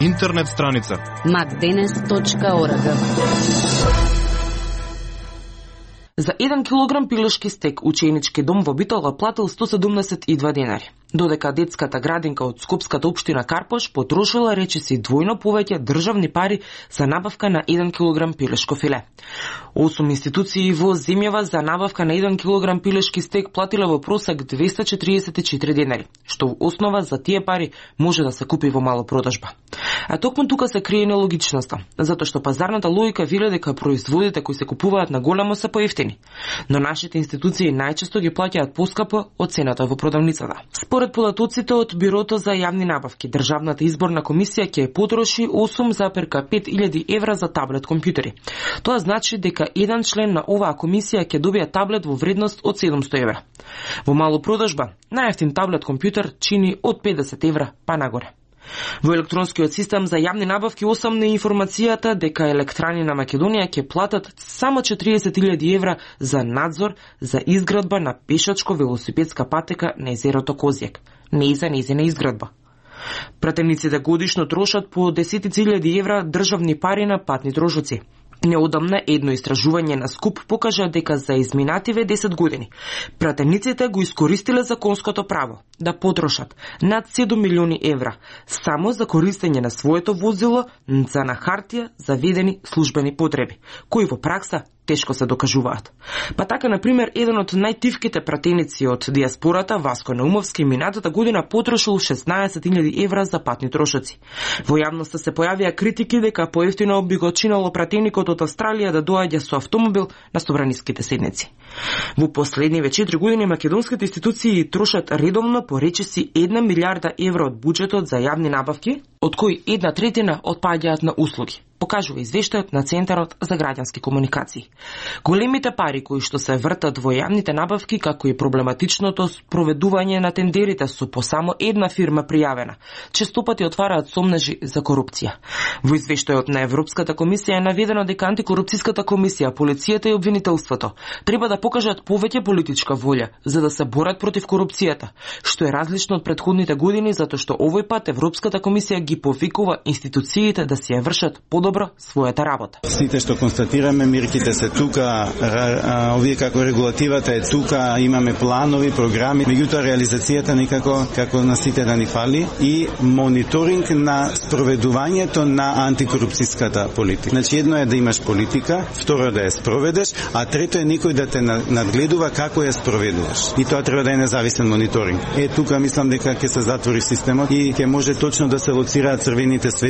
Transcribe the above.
интернет страница macdenes.org. За 1 килограм пилешки стек ученички дом во Битола платил 172 денари, додека детската градинка од Скопската општина Карпош потрошила речиси двојно повеќе државни пари за набавка на 1 килограм пилешко филе. 8 институции во земјава за набавка на 1 килограм пилешки стек платила во просек 244 денари, што во основа за тие пари може да се купи во мало продажба. А токму тука се крие нелогичноста, затоа што пазарната логика вели дека производите кои се купуваат на големо се поевтини, но нашите институции најчесто ги плаќаат поскапо од цената во продавницата. Според податоците од Бирото за јавни набавки, Државната изборна комисија ќе потроши 8,5.000 евра за таблет компјутери. Тоа значи дека еден член на оваа комисија ќе добие таблет во вредност од 700 евра. Во мало продажба, најевтин таблет компјутер чини од 50 евра па нагоре. Во електронскиот систем за јавни набавки осамна информацијата дека Електрани на Македонија ќе платат само 40.000 евра за надзор за изградба на пешачко-велосипедска патека на езерото Козјак, не и за нејзина изградба. Пратениците годишно трошат по 10.000 евра државни пари на патни трошоци. Неодамна едно истражување на Скуп покажа дека за изминативе 10 години пратениците го искористиле законското право да потрошат над 7 милиони евра само за користење на своето возило за на хартија заведени службени потреби, кои во пракса тешко се докажуваат. Па така, например, еден од најтивките пратеници од диаспората, Васко Наумовски, минатата година потрошил 16.000 евра за патни трошоци. Во јавноста се појавија критики дека поевтино би го чинало пратеникот од Австралија да доаѓа со автомобил на собраниските седници. Во последниве 4 години македонските институции трошат редовно по речиси 1 милиарда евра од буџетот за јавни набавки, од кои 1/3 отпаѓаат на услуги, покажува извештајот на Центарот за граѓански комуникации. Големите пари кои што се вртат во јавните набавки, како и проблематичното спроведување на тендерите со по само една фирма пријавена, честопати отвараат сомнежи за корупција. Во извештајот на Европската комисија е наведено дека антикорупцијската комисија, полицијата и обвинителството треба да покажат повеќе политичка волја за да се борат против корупцијата, што е различно од претходните години затоа што овој пат Европската комисија ги повикува институциите да си ја вршат подобро својата работа. Сите што констатираме, мирките се тука, овие како регулативата е тука, имаме планови, програми, меѓутоа реализацијата никако како на сите да ни фали и мониторинг на спроведувањето на антикорупцијската политика. Значи едно е да имаш политика, второ да ја спроведеш, а трето е никој да те надгледува како ја спроведуваш. И тоа треба да е независен мониторинг. Тука мислам дека ќе се затвори системот и ќе може точно да се лоцираат црвените светла